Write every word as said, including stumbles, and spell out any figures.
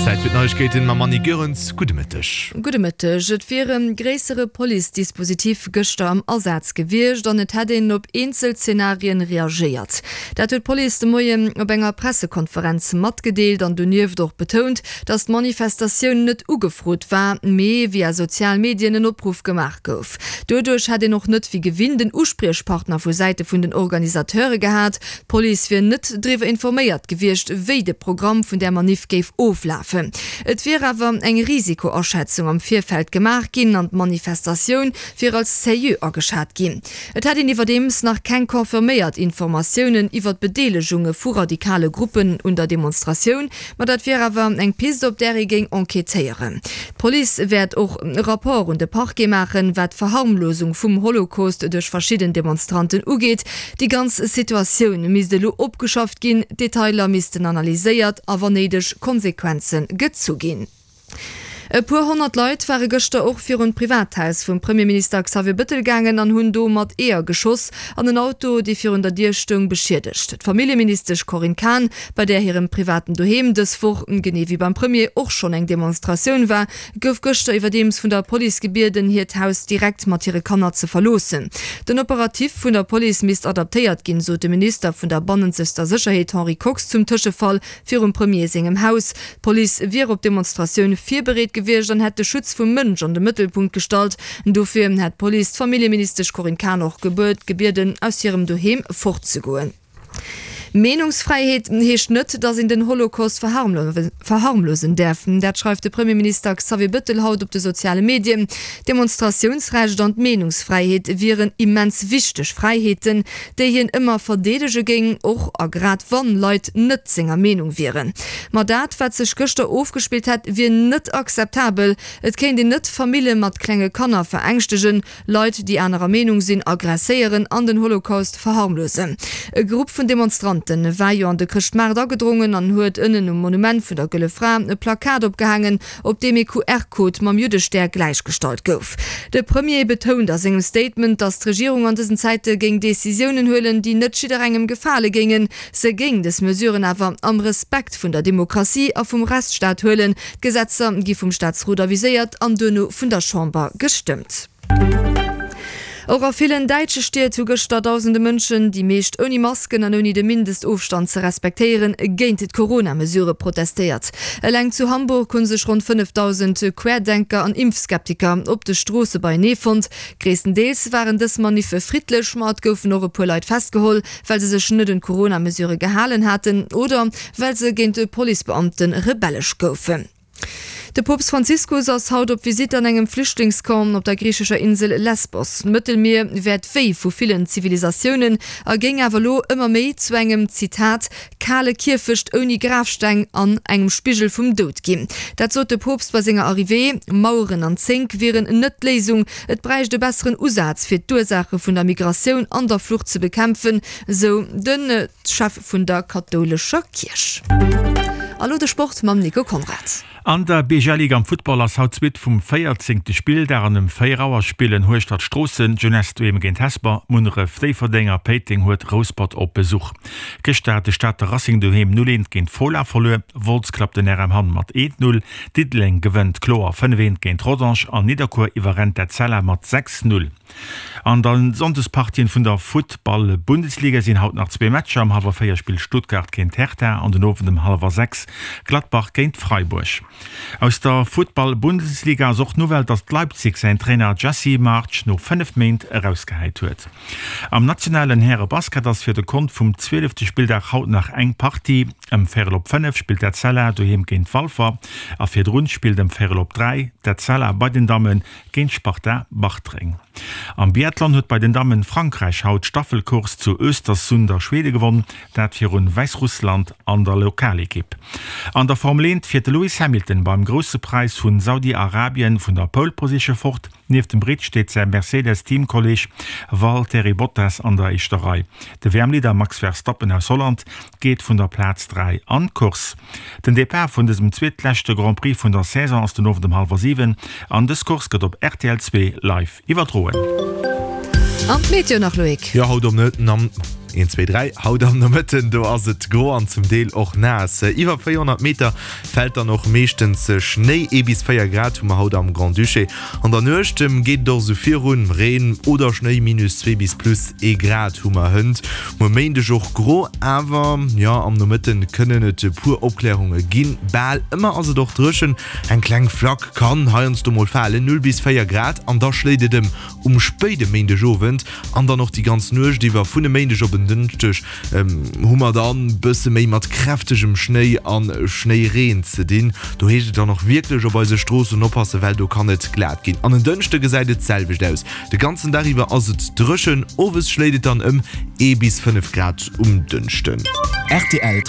Zäit fir d'Neiegkeeten mam Annie Goerens. Gudde Mëtteg. Gudde Mëtteg. Et wier e gréissere Police-Dispositif gëschter am Asaz gewiescht an et hätt een op eenzel Zenarien reagéiert. Dat huet d'Police de Moien op enger Pressekonferenz matgedeelt an donieft och betount, datt d'Manifestatioun net ugefrot war, mee via sozial Medien en Opruff gemaach gouf. Doduerch hätt een och net wéi gewinnt en Uspriechpartner vu Säite vun den Organisateure gehat. D'Police wier net driwwer informéiert gewiescht, wéi de Programm vun där Maniff géif oflafen. Et wier awer eng Risikoaschätzung am Virfeld gemaach ginn an d'Manifestatioun wier als seriö ageschat ginn. Et hätt een iwwerdeems nach keng confirméiert Informatiounen iwwer d'Bedeelegunge vu radikale Gruppen un der Demonstratioun, ma dat wier awer eng Pist, op där ee géing enquêtéieren. D'Police wäert och e Rapport un de Parquet maachen, wat d'Verharmlosung vum Holocaust duerch verschidden Demonstranten ugeet. Déi ganz Situatioun misst elo opgeschafft ginn, d'Detailer missten analyséiert a wann néideg Konsequenze gezu ginn. E puer honnert Leit ware gëschter och virun d'Privathaus vum Premierminister Xavier Bëttel gaangen an hunn do mat Eeër geschoss an en Auto, dee virun der Dier stoung, beschiedegt. D'Familljeministesch Corinne Cahen, bei där hirem privaten Doheem dës Woch, genee wéi beim Premier, och schonn eng Demonstratioun war, gouf gëschter iwwerdeems vun der Police gebieden, hiert Haus direkt mat hire Kanner ze verloossen. Den Operatif vun der Police misst adaptéiert ginn, sot de Minister vun der bannenzegster Sécherheet Henri Kox zum Tëschefall virum Premier sengem Haus. D'Police wier op d'Demonstratioun virbereet gewiescht an hätt de Schutz vum Mënsch an de Mëttelpunkt gestallt. Dofir hätt d'Police d'Familljeministesch Corinne Cahen och gebieden, aus hirem Doheem fortzegoen. Meenungsfräiheet heescht net, datt een den Holocaust verharmlosen däerf. Dat schreift de Premierminister Xavier Bëttel haut op de soziale Medien. D'Demonstratiounsrecht an d'Meenungsfräiheet wieren immens wichteg Fräiheeten, déi hien ëmmer verdeedege géing, och a grad wann Leit net senger Meenung wieren. Ma dat, wat sech gëschter ofgespillt hätt, wier net akzeptabel. Et kéint een net Famille mat klenge Kanner verängschtegen, Leit, déi anerer Meenung sinn, aggresséieren an den Holocaust verharmlosen. E Grupp vun Demonstrante war jo an de Chrëschtmaart agedrongen an huet ënnen um Monument vun der Gëlle Fra e Plakat opgehaangen, op deem ee Q R-Code mam Juddestär gläichgestallt gouf. De Premier betount a sengem Statement, datt d'Regierung an dësen Zäite géing Decisiounen huelen, déi net jidderengem gefale géingen. Se géing dës Mesuren awer am Respekt vun der Demokratie a vum Rechtsstaat huelen. D'Gesetzer gi vum Staatsrot aviséiert an duerno vun der Chamber gestëmmt. Och a villen däitsche Stied hu gëschter dausende Mënschen, déi meescht ouni Masken an ouni de Mindestofstand ze respektéieren, géint d'Corona-Mesurë protestéiert. Eleng zu Hamburg hu sech ronn fënnefdausend Querdenker an Impfskeptiker op de Stroosse beienee fonnt. Gréisstendeels waren dës Maniffe friddlech, ma et goufen och e puer Leit festgeholl, well se sech net un d'Corona-Mesurë gehalen haten oder well se géint Policebeamte rebellesch goufen. De Poopst Franziskus ass haut op Visitt an engem Flüchtlingscamp op der griichescher Insel Lesbos. D'Mëttelmier wär d'Wéi vu villen Zivilisatiounen a géing awer elo ëmmer méi zu engem, Zitat, kale Kierfecht ouni Grafsteng an engem Spigel vum Doud ginn. Dat sot de Poopst bei senger Arrivée. Maueren an Zénk wieren net d'Léisung, et bräicht e besseren Usaz fir d'Ursaache vun der Migratioun an der Flucht ze bekämpfen, sou de Chef vun der kathoulescher Kierch. A lo de Sport mam Nico Conrad. An der B G L Ligue am Futtball ass haut d'Suite vum véierzéngte Spilldag an ëm véier Auer spillen Hueschtert Stroossen, d'Jeunesse doheem géint Hesper, Munneref Déifferdeng a Péiteng huet Rouspert op Besuch. Gëschter hat de Stater Racing doheem null eent géint Fola verluer, Wolz klappt den R M Hamm mat eent null, Diddeleng gewënnt kloer fënnef eent géint Rodange an Nidderkuer iwwerrennt d'Etzella mat sechs null. An der Sonndespartien vun der Futtball-Bundesliga sinn haut nach zwee Matcher, Ëm hallwer véier spillt Stuttgart géint Hertha an den Owend ëm hallwer sechs Gladbach géint Freiburg. Aus der Futtball-Bundesliga ass och d'Nouvelle, datt Leipzig säin Trainer Jesse Marsch no fënnef Méint erausgehäit huet. Am nationalen Häre-Basket ass fir de Kont vum zwielefte Spilldag haut nach eng Partie. Ëm véierel op fënnef spillt d'Etzella doheem géint Walfer a virdrun spillt ëm véierel op dräi d'Etzella bei den Damme géint Sparta Bartreng. Am Biathlon huet bei den Dammen Frankräich haut d'Staffelcourse zu Östersund a Schwede gewonn, dat virun Wäissrussland an der Lokalekipp. An der Formel eent fiert de Lewis Hamilton beim Grousse Präis vun Saudi-Arabien vun der Pole Position fort. Nieft dem Britt steet säi Mercedes-Teamkolleeg Valtteri Bottas an der éischter Rei. De W M-Leader Max Verstappen aus Holland geet vun der Plaz dräi an d'Course. Den Depart vun dësem zweetleschte Grand Prix vun der Saison ass den Owend ëm hallwer siwen an dës Course gëtt op R T L zwee live iwwerdroen. An d'Meteo nach, Loïc. Jo, haut um Een, zwee, dräi, Haut am Nomëtten, do ass et gro an zum Deel och naass. Iwwer véierhonnert Meter fält dann och meeschtens Schnéi. Ee bis véier Grad hu mer haut am Grand-Duché. An der Nuecht geet et och esou virun, Reen oder Schnéi, minus zwee bis plus ee Grad hu mer hënt. Muer Méindeg och gro, awer jo am Nomëtten kënnen et e puer Opklärunge ginn. Bal ëmmer ass et och dréchen, eng kleng Flack kann heiansdo mol falen, null bis véier Grad, an da schléit et ëm um spéide Méindegowend an dann och déi ganz Nuecht iwwer. Vun e Méindeg op en Dënschdeg hu mer dann bësse méi mat kräftegem Schnéi a Schnéireen ze dinn. Do heescht et dann och wierklech op eise Stroossen oppassen, well do kann et glat ginn. An en Dënschde gesäit et d'selwecht aus, de ganzen Dag iwwer ass et dréchen, owes schléit et dann ëm ee bis fënnef Grad um Dënschden. Rtl.